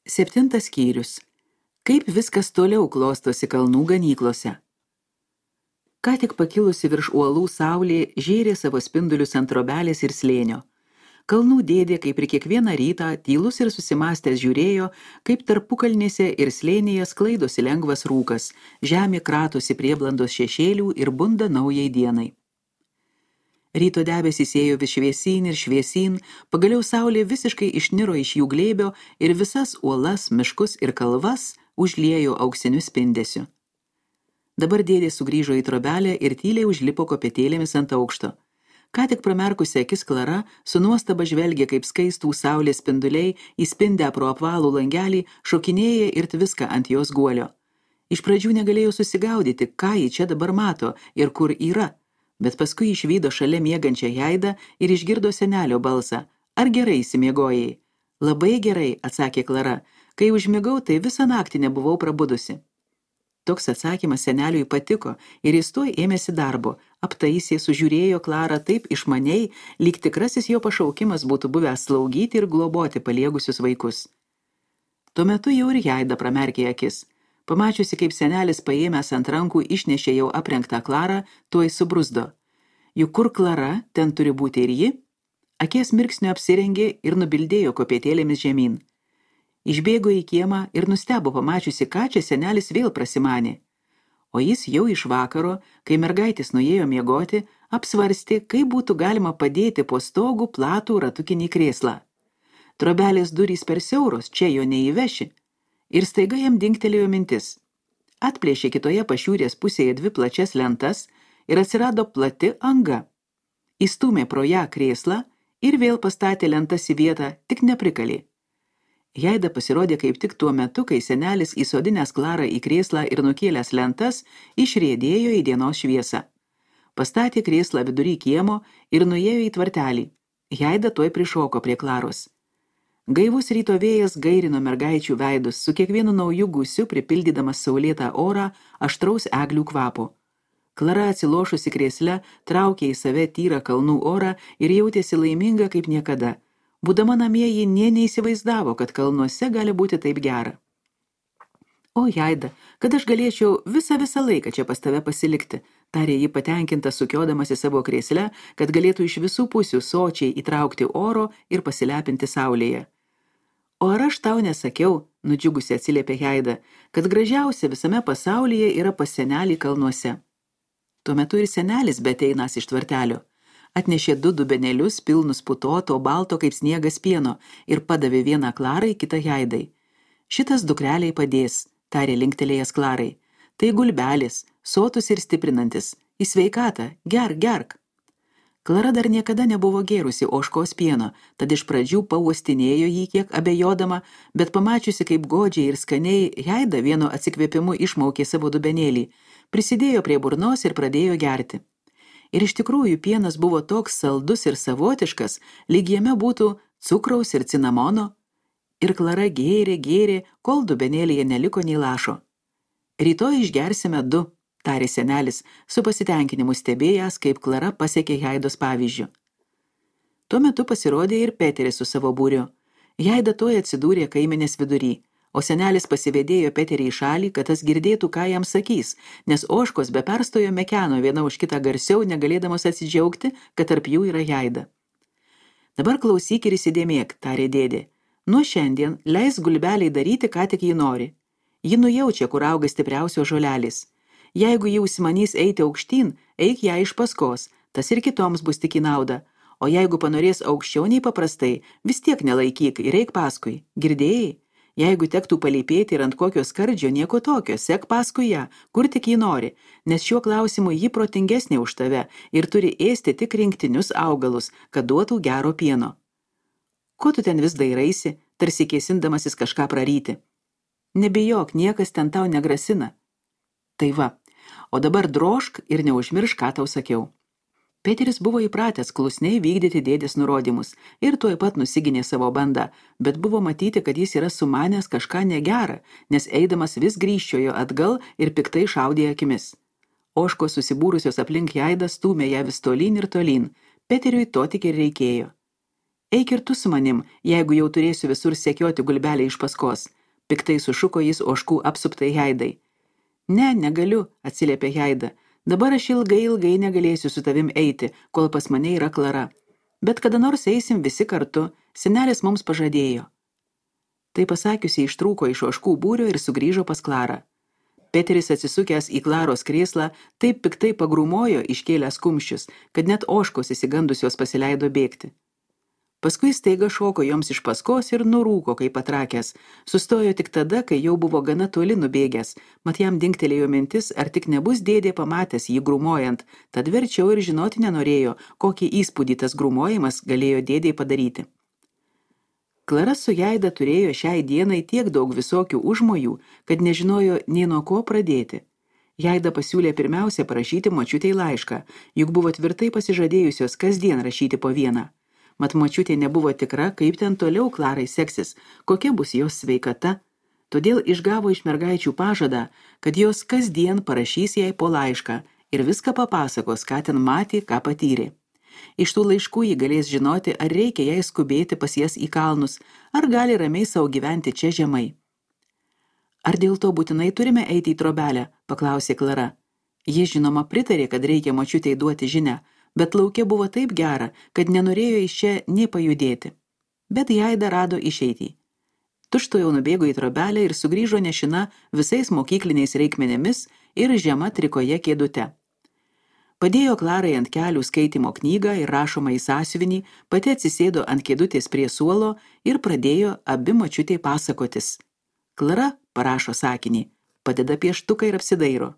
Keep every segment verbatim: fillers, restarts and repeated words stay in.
Septintas skyrius. Kaip viskas toliau klostosi kalnų ganyklose. Ką tik pakilusi virš uolų saulė žėrė savo spindulius ant trobelės ir slėnio. Kalnų dėdė, kaip ir kiekvieną rytą, tylus ir susimąstęs žiūrėjo, kaip tarpukalnėse ir slėnyje sklaidosi lengvas rūkas, žemė kratosi prieblandos šešėlių ir bunda naujai dienai. Ryto debesys ėjo vis šviesyn ir šviesyn, pagaliau saulė visiškai išniro iš jų glėbio ir visas uolas, miškus ir kalvas užliejo auksiniu spindesiu. Dabar dėdė sugrįžo į trobelę ir tyliai užlipo kopėtėlėmis ant aukšto. Ką tik pramerkusi akis Klara su nuostaba žvelgė, kaip skaistų saulės spinduliai įspindę pro apvalų langelį šokinėja ir tviska ant jos guolio. Iš pradžių negalėjo susigaudyti, ką ji čia dabar mato ir kur yra, bet paskui išvydo šalia miegančią Jaidą ir išgirdo senelio balsą. Ar gerai įsimiegojai? Labai gerai, atsakė Klara. Kai užmigau, tai visą naktį nebuvau prabudusi. Toks atsakymas seneliui patiko ir jis tuoj ėmėsi darbo, aptaisė, sužiūrėjo Klarą taip išmaniai, lyg tikrasis jo pašaukimas būtų buvęs slaugyti ir globoti paliegusius vaikus. Tuo metu jau ir Jaida pramerkė akis. Pamačiusi, kaip senelis paėmęs ant rankų išnešė jau aprengtą Klarą, tuoj subruzdo. Juk kur Klara, ten turi būti ir ji? Akies mirksniu apsirengė ir nubildėjo kopėtėlėmis žemyn. Išbėgo į kiemą ir nustebo pamačiusi, ką čia senelis vėl prasimanė. O jis jau iš vakaro, kai mergaitės nuėjo miegoti, apsvarstė, kaip būtų galima padėti po stogu platų ratukinį krėslą. Trobelės durys per siauros, čia jo neįveši. Ir staiga jam dingtelėjo mintis. Atplėšė kitoje pašiūrės pusėje dvi plačias lentas ir atsirado plati anga. Įstūmė pro ją krėslą ir vėl pastatė lentas į vietą, tik neprikalė. Jaida pasirodė kaip tik tuo metu, kai senelis įsodinęs Klarą į krėslą ir nukėlęs lentas, išriedėjo į dienos šviesą. Pastatė krėslą vidury kiemo ir nuėjo į tvartelį. Jaida tuoj prišoko prie Klaros. Gaivus ryto vėjas gairino mergaičių veidus, su kiekvienu nauju gūsiu pripildydamas saulėtą orą aštraus eglių kvapo. Klara atsilošusi krėsle traukė į save tyrą kalnų orą ir jautėsi laiminga kaip niekada. Būdama namie ji nė neįsivaizdavo, kad kalnuose gali būti taip gera. O Jaida, kad aš galėčiau visą visą laiką čia pas tave pasilikti, tarė ji patenkinta sukiodamas į savo krėslę, kad galėtų iš visų pusių sočiai įtraukti oro ir pasilepinti saulėje. O ar aš tau nesakiau, nudžiugusi atsiliepė Jaida, kad gražiausia visame pasaulyje yra pas senelį kalnuose. Tuo metu ir senelis beteinas iš tvartelio. Atnešė du dubenėlius pilnus putoto, balto kaip sniegas pieno ir padavė vieną Klarai, kitą Jaidai. Šitas dukreliai padės, tarė linktelėjęs Klarai. Tai gulbelis, sotus ir stiprinantis. Į sveikatą, gerk, gerk. Klara dar niekada nebuvo gėrusi ožkos pieno, tad iš pradžių pauostinėjo jį kiek abejodama, bet pamačiusi, kaip godžiai ir skaniai Jaida vienu atsikvėpimu išmaukė savo dubenėlį, prisidėjo prie burnos ir pradėjo gerti. Ir iš tikrųjų pienas buvo toks saldus ir savotiškas, lyg jame būtų cukraus ir cinamono. Ir Klara gėrė, gėrė, kol dubenėlyje neliko nei lašo. Rytoj išgersime du, tarė senelis, su pasitenkinimu stebėjęs, kaip Klara pasiekė Jaidos pavyzdžių. Tuo metu pasirodė ir Peteris su savo būriu. Jaida tuoj atsidūrė kaimenės vidury. O senelis pasivedėjo Peterį į šalį, kad tas girdėtų, ką jam sakys, nes ožkos be perstojo mekeno viena už kitą garsiau, negalėdamos atsidžiaugti, kad tarp jų yra Jaida. Dabar klausyk ir įsidėmėk, tarė dėdė. Nuo šiandien leis gulbeliai daryti, ką tik ji nori. Ji nujaučia, kur auga stipriausios žolelės. Jeigu ji užsimanys eiti aukštyn, eik ją iš paskos, tas ir kitoms bus tik į naudą. O jeigu panorės aukščiau nei paprastai, vis tiek nelaikyk ir eik paskui. Girdėjai? Jeigu tektų palypėti ir ant kokio skardžio, nieko tokio, sek paskui ją, kur tik jį nori, nes šiuo klausimu ji protingesnė už tave ir turi ėsti tik rinktinius augalus, kad duotų gero pieno. Ko tu ten vis dairaisi, tarsi kėsindamasis kažką praryti? Nebijok, niekas ten tau negrasina. Tai va, o dabar drožk ir neužmiršk, ką tau sakiau. Peteris buvo įpratęs klusniai vykdyti dėdės nurodymus ir tuoj pat nusiginė savo bandą, bet buvo matyti, kad jis yra sumanęs kažką negerą, nes eidamas vis grįžčiojo atgal ir piktai šaudė akimis. Ožkos susibūrusios aplink Jaidą stūmė ją vis tolyn ir tolyn, Peteriui to tik ir reikėjo. Eik ir tu su manim, jeigu jau turėsiu visur sekioti gulbelę iš paskos. Piktai sušuko jis ožkų apsuptai Heidai. Ne, negaliu, atsiliepė Heida. Dabar aš ilgai, ilgai negalėsiu su tavim eiti, kol pas mane yra Klara. Bet kada nors eisim visi kartu, senelis mums pažadėjo. Tai pasakiusi ištrūko iš ožkų būrio ir sugrįžo pas Klarą. Peteris atsisukęs į Klaros krėslą taip piktai pagrūmojo iškėlęs kumščius, kad net ožkos įsigandusios pasileido bėgti. Paskui staiga šoko joms iš paskos ir nurūko, kaip patrakęs. Sustojo tik tada, kai jau buvo gana toli nubėgęs, mat jam dingtelėjo mintis, ar tik nebus dėdė pamatęs jį grūmojant, tad verčiau ir žinoti nenorėjo, kokį įspūdį tas grūmojimas galėjo dėdei padaryti. Klara su Heida turėjo šiai dienai tiek daug visokių užmojų, kad nežinojo nei nuo ko pradėti. Heida pasiūlė pirmiausia parašyti močiutei laišką, juk buvo tvirtai pasižadėjusios kasdien rašyti po vieną. Mat močiutė nebuvo tikra, kaip ten toliau Klarai seksis, kokia bus jos sveikata, todėl išgavo iš mergaičių pažadą, kad jos kasdien parašys jai po laišką ir viską papasakos, ką ten matė, ką patyrė. Iš tų laiškų ji galės žinoti, ar reikia jai skubėti pas jas į kalnus, ar gali ramiai savo gyventi čia žemai. Ar dėl to būtinai turime eiti į trobelę, paklausė Klara. Ji žinoma pritarė, kad reikia močiutei duoti žinią, bet lauke buvo taip gera, kad nenorėjo iš čia nė pajudėti. Bet Heida rado išeitį. Tučtuojau nubėgo į trobelę ir sugrįžo nešina visais mokykliniais reikmenėmis ir žema trikoje kėdute. Padėjo Klarai ant kelių skaitymo knygą ir rašomą į sąsiuvinį, pati atsisėdo ant kėdutės prie suolo ir pradėjo abi močiutei pasakotis. Klara parašo sakinį, padeda pieštuką ir apsidairo.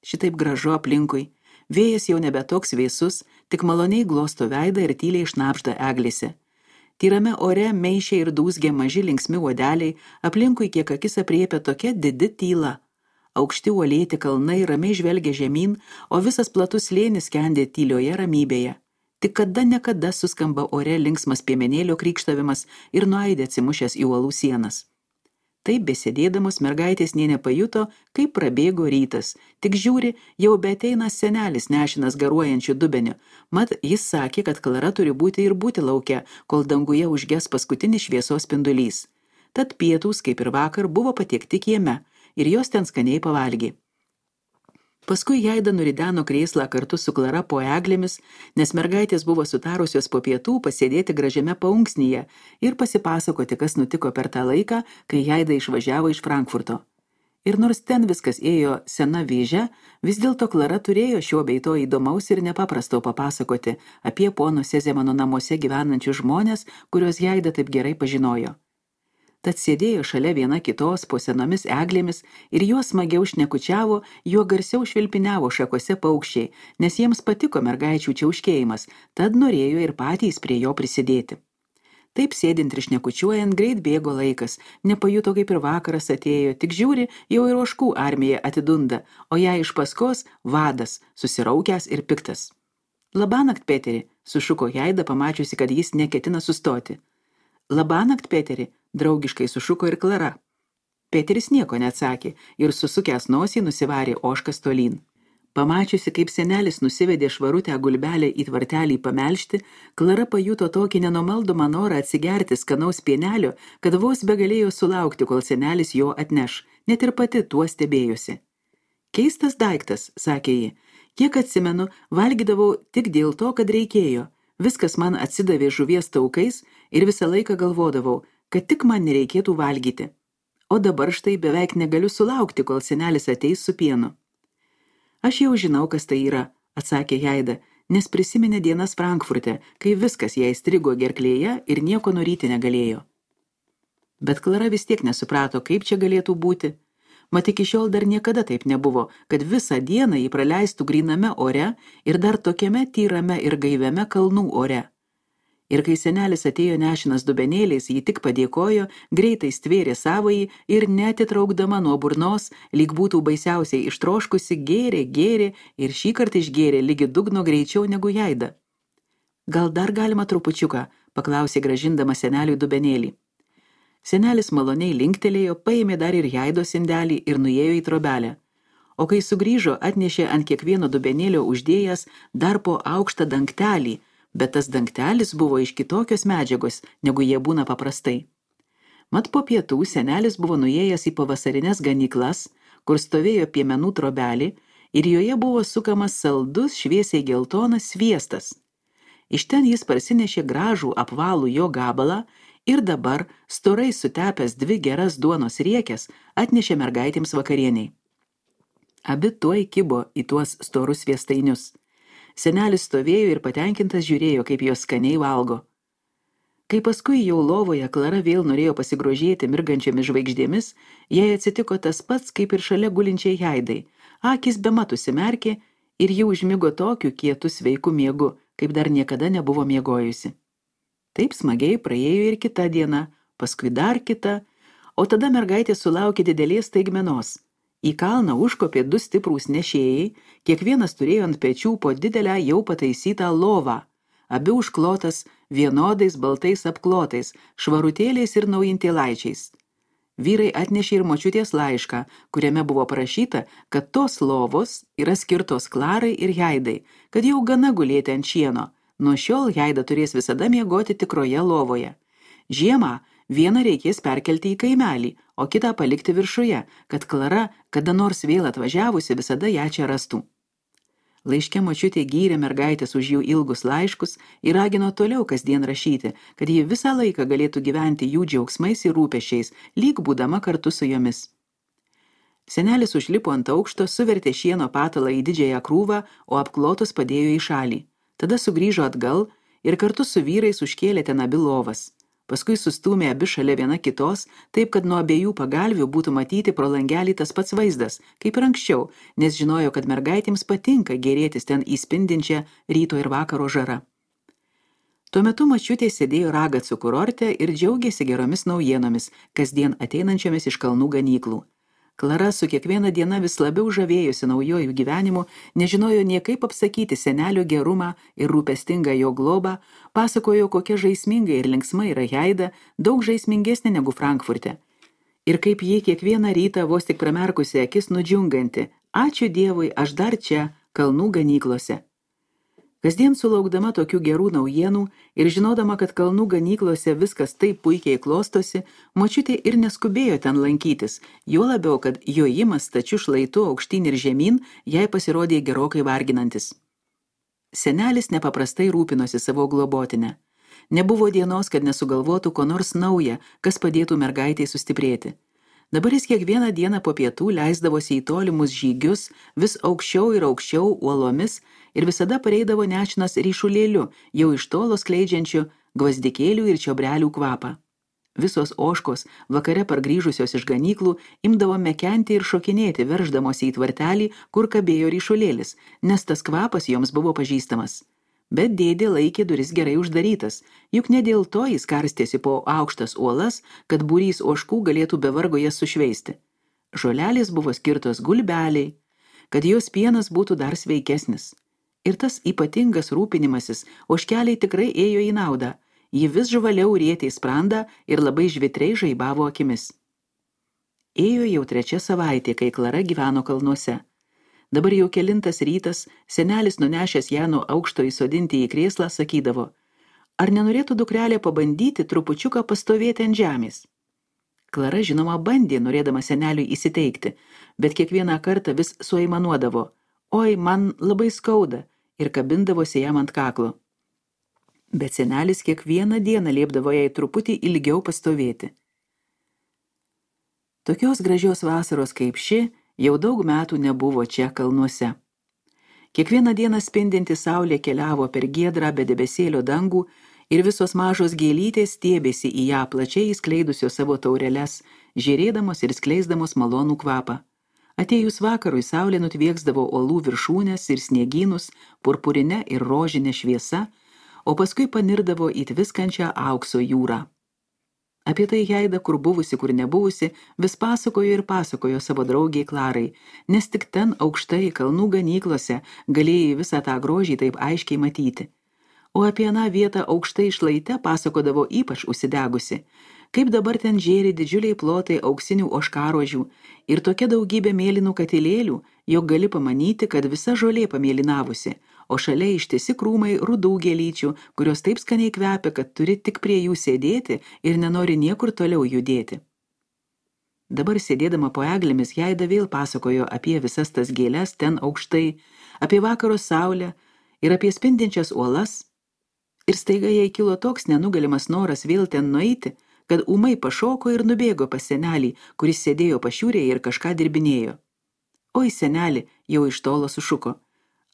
Šitaip gražu aplinkui. Vėjas jau nebe toks vėsus, tik maloniai glosto veidą ir tyliai šnabžda eglėse. Tyrame ore meišė ir dūzgė maži linksmi uodeliai, aplinkui kiek akis apriepia tokia didi tyla. Aukšti uolėti kalnai ramiai žvelgia žemyn, o visas platus slėnis skendė tylioje ramybėje. Tik kada nekada suskamba ore linksmas piemenėlio krykštavimas ir nuaidė atsimušęs į uolų sienas. Taip besėdėdamos mergaitės nė nepajuto, kaip prabėgo rytas. Tik žiūri, jau beateina senelis nešinas garuojančių dubeniu. Mat, jis sakė, kad Klara turi būti ir būti lauke, kol danguje užges paskutinis šviesos spindulys. Tad pietūs, kaip ir vakar, buvo patiekti kieme ir jos ten skaniai pavalgė. Paskui Heida nurideno krėslą kartu su Klara po eglėmis, nes mergaitės buvo sutarusios po pietų pasėdėti gražiame paunksnyje ir pasipasakoti, kas nutiko per tą laiką, kai Heida išvažiavo iš Frankfurto. Ir nors ten viskas ėjo sena vėže, vis dėlto Klara turėjo šio bei to įdomaus ir nepaprasto papasakoti apie pono Sezemano namuose gyvenančius žmonės, kuriuos Heida taip gerai pažinojo. Tad sėdėjo šalia viena kitos po senomis eglėmis ir juos smagiau šnekučiavo, juo garsiau švilpiniavo šakose paukščiai, nes jiems patiko mergaičių čiauškėjimas, tad norėjo ir patys prie jo prisidėti. Taip sėdint ir šnekučiuojant, greit bėgo laikas, nepajuto kaip ir vakaras atėjo, tik žiūri, jau ir ožkų armija atidunda, o ją iš paskos vadas, susiraukęs ir piktas. Labanakt, Peteri, sušuko Heida, pamačiusi, kad jis neketina sustoti. Labanakt, Peteri, draugiškai sušuko ir Klara. Peteris nieko neatsakė ir susukęs nosį nusivarė ožkas tolyn. Pamačiusi, kaip senelis nusivedė švarutę gulbelę į tvartelį pamelžti, Klara pajuto tokį nenumaldomą norą atsigerti skanaus pienelio, kad vos begalėjo sulaukti, kol senelis jo atneš, net ir pati tuo stebėjosi. Keistas daiktas, sakė ji, kiek atsimenu, valgydavau tik dėl to, kad reikėjo. Viskas man atsidavė žuvies taukais ir visą laiką galvodavau, kad tik man nereikėtų valgyti. O dabar štai beveik negaliu sulaukti, kol senelis ateis su pienu. Aš jau žinau, kas tai yra, atsakė Heida, nes prisiminė dienas Frankfurte, kai viskas jai strigo gerklėje ir nieko noryti negalėjo. Bet Klara vis tiek nesuprato, kaip čia galėtų būti. Mat iki šiol dar niekada taip nebuvo, kad visą dieną jį praleistų gryname ore ir dar tokiame tyrame ir gaiviame kalnų ore. Ir kai senelis atėjo nešinas dubenėliais, jį tik padėkojo, greitai stvėrė savąjį ir netitraukdama nuo burnos, lyg būtų baisiausiai ištroškusi, gėrė, gėrė ir šį kartą išgėrė lygi dugno greičiau negu Heida. Gal dar galima trupučiuką, paklausė grąžindama seneliui dubenėlį. Senelis maloniai linktelėjo, paėmė dar ir Heidos indelį ir nuėjo į trobelę. O kai sugrįžo, atnešė ant kiekvieno dubenėlio uždėjęs dar po aukštą dangtelį, bet tas dangtelis buvo iš kitokios medžiagos, negu jie būna paprastai. Mat po pietų senelis buvo nuėjęs į pavasarinės ganyklas, kur stovėjo piemenų trobelį ir joje buvo sukamas saldus šviesiai geltonas sviestas. Iš ten jis parsinešė gražų apvalų jo gabalą ir dabar, storai sutepęs dvi geras duonos riekes, atnešė mergaitėms vakarieniai. Abi tuoj kibo į tuos storus sviestainius. Senelis stovėjo ir patenkintas žiūrėjo, kaip jos skaniai valgo. Kai paskui jau lovoje Klara vėl norėjo pasigrožėti mirgančiomis žvaigždėmis, jai atsitiko tas pats, kaip ir šalia gulinčiai Haidai. Akis bemat užsimerkė ir ji užmigo tokiu kietu sveiku miegu, kaip dar niekada nebuvo miegojusi. Taip smagiai praėjo ir kita diena, paskui dar kita, o tada mergaitė sulaukė didelės staigmenos. Į kalną užkopė du stiprūs nešėjai, kiekvienas turėjo ant pečių po didelę jau pataisytą lovą, abi užklotas vienodais baltais apklotais, švarutėliais ir naujintėlaičiais. Vyrai atnešė ir močiutės laišką, kuriame buvo parašyta, kad tos lovos yra skirtos Klarai ir Haidai, kad jau gana gulėti ant šieno. Nuo šiol Haida turės visada miegoti tikroje lovoje. Žiemą vieną reikės perkelti į kaimelį, o kitą palikti viršuje, kad Klara, kada nors vėl atvažiavusi, visada ją čia rastų. Laiške močiutė gyrė mergaitės už jų ilgus laiškus ir ragino toliau kasdien rašyti, kad ji visą laiką galėtų gyventi jų džiaugsmais ir rūpesčiais, lyg būdama kartu su jomis. Senelis užlipo ant aukšto, suvertė šieno patalą į didžiąją krūvą, o apklotus padėjo į šalį. Tada sugrįžo atgal ir kartu su vyrais užkėlė ten abi lovas. Paskui sustūmė abi šalia viena kitos, taip kad nuo abiejų pagalvių būtų matyti pro langelį tas pats vaizdas, kaip ir anksčiau, nes žinojo, kad mergaitėms patinka gėrėtis ten įspindinčią ryto ir vakaro žarą. Tuo metu močiutė sėdėjo Ragacų kurorte ir džiaugėsi geromis naujienomis, kasdien ateinančiomis iš kalnų ganyklų. Klara su kiekviena diena vis labiau žavėjosi naujojų gyvenimu, nežinojo nie kaip apsakyti senelio gerumą ir rūpestingą jo globą, pasakojo, kokia žaisminga ir linksma yra Haida, daug žaismingesnė negu Frankfurte. Ir kaip ji kiekvieną rytą vos tik pramerkusi akis nudžiunganti, ačiū Dievui, aš dar čia, kalnų ganyklose. Kasdien sulaukdama tokių gerų naujienų ir žinodama, kad kalnų ganyklose viskas taip puikiai klostosi, močiutė ir neskubėjo ten lankytis, juo labiau, kad jojimas stačiu šlaitu aukštyn ir žemyn jai pasirodė gerokai varginantis. Senelis nepaprastai rūpinosi savo globotinę. Nebuvo dienos, kad nesugalvotų ko nors nauja, kas padėtų mergaitei sustiprėti. Dabar jis kiekvieną dieną po pietų leisdavosi į tolimus žygius, vis aukščiau ir aukščiau uolomis ir visada pareidavo nešinas ryšulėliu, jau iš tolo skleidžiančiu gvazdikėlių ir čiobrelių kvapą. Visos ožkos, vakare pargrįžusios iš ganyklų, imdavo mekenti ir šokinėti, verždamosi į tvartelį, kur kabėjo ryšulėlis, nes tas kvapas joms buvo pažįstamas. Bet dėdė laikė duris gerai uždarytas, juk ne dėl to jis karstėsi po aukštas uolas, kad būrys ožkų galėtų be vargo jas sušveisti. Žolelės buvo skirtos gulbeliai, kad jos pienas būtų dar sveikesnis. Ir tas ypatingas rūpinimasis ožkeliai tikrai ėjo į naudą, ji vis žvaliau rietė į sprandą ir labai žvitriai žaibavo akimis. Ėjo jau trečia savaitė, kai Klara gyveno kalnuose. Dabar jau kelintas rytas, senelis nunešęs ją nuo aukšto įsodinti į krėslą, sakydavo, ar nenorėtų dukrelė pabandyti trupučiuką pastovėti ant žemės. Klara žinoma bandė, norėdama seneliui įsiteikti, bet kiekvieną kartą vis suaimanuodavo, oi, man labai skauda, ir kabindavosi jam ant kaklo. Bet senelis kiekvieną dieną liepdavo jai truputį ilgiau pastovėti. Tokios gražios vasaros kaip ši jau daug metų nebuvo čia kalnuose. Kiekvieną dieną spindinti saulė keliavo per giedrą be debesėlio dangų ir visos mažos gėlytės stiebėsi į ją plačiai įskleidusios savo taureles, žėrėdamos ir skleisdamos malonų kvapą. Atėjus vakarui saulė nutvieksdavo uolų viršūnes ir sniegynus purpurinę ir rožinę šviesa, o paskui panirdavo į tviskančią aukso jūrą. Apie tai Haida, kur buvusi, kur nebuvusi, vis pasakojo ir pasakojo savo draugiai Klarai, nes tik ten aukštai kalnų ganyklose galėjai visą tą grožį taip aiškiai matyti. O apie aną vietą aukštai šlaite pasakodavo ypač užsidegusi, kaip dabar ten žėri didžiuliai plotai auksinių ožkarožių ir tokia daugybė mėlynų katilėlių, jog gali pamanyti, kad visa žolė pamėlynavusi, o šalia ištisi krūmai rudų gėlyčių, kurios taip skaniai kvepia, kad turi tik prie jų sėdėti ir nenori niekur toliau judėti. Dabar sėdėdama po eglėmis Jaida vėl pasakojo apie visas tas gėles ten aukštai, apie vakaro saulę ir apie spindinčias uolas, ir staiga jai kilo toks nenugalimas noras vėl ten nueiti, kad ūmai pašoko ir nubėgo pas senelį, kuris sėdėjo pašiūrėje ir kažką dirbinėjo. Oi, seneli, jau iš tolo sušuko.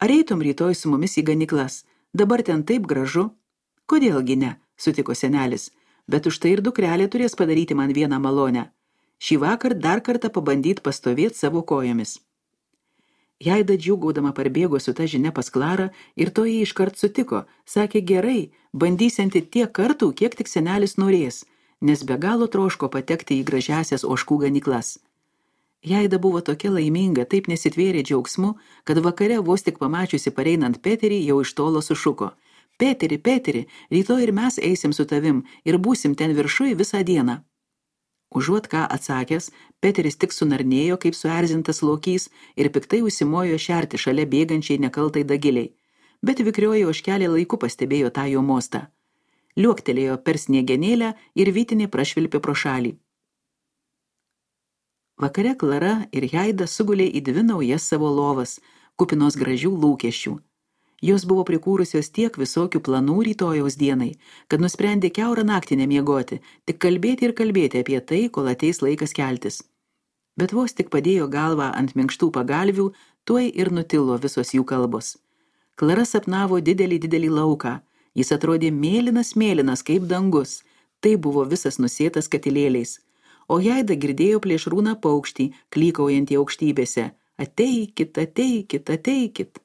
Ar eitum rytoj su mumis į ganyklas? Dabar ten taip gražu. Kodėlgi ne, sutiko senelis, bet už tai ir dukrelė turės padaryti man vieną malonę. Šį vakar dar kartą pabandyt pastovėti savo kojomis. Jaida džiūgaudama parbėgo su ta žinia pas Klarą ir to jį iškart sutiko. Sakė, gerai, bandysianti tiek kartų, kiek tik senelis norės, nes be galo troško patekti į gražiasias ožkų ganyklas. Jaida buvo tokia laiminga, taip nesitvėrė džiaugsmu, kad vakare vos tik pamačiusi pareinant Peterį jau iš tolo sušuko. Peteri, Peteri, rytoj ir mes eisim su tavim ir būsim ten viršui visą dieną. Užuot ką atsakęs, Peteris tik sunarnėjo kaip suerzintas lokys ir piktai užsimojo šerti šalia bėgančiai nekaltai dagiliai, bet vikrioji ožkelė laiku pastebėjo tą jo mostą. Liuoktelėjo per sniegenėlę ir vytinė prašvilpė pro šalį. Vakare Klara ir Jaida sugulė į dvi naujas savo lovas, kupinos gražių lūkesčių. Jos buvo prikūrusios tiek visokių planų rytojaus dienai, kad nusprendė kiaurą naktį nemiegoti, tik kalbėti ir kalbėti apie tai, kol ateis laikas keltis. Bet vos tik padėjo galvą ant minkštų pagalvių, tuoj ir nutilo visos jų kalbos. Klara sapnavo didelį didelį lauką. Jis atrodė mėlynas mėlynas kaip dangus. Tai buvo visas nusėtas katilėliais. O Jaida girdėjo plėšrūną paukštį, klykaujantį aukštybėse. Ateikit, ateikit, ateikit.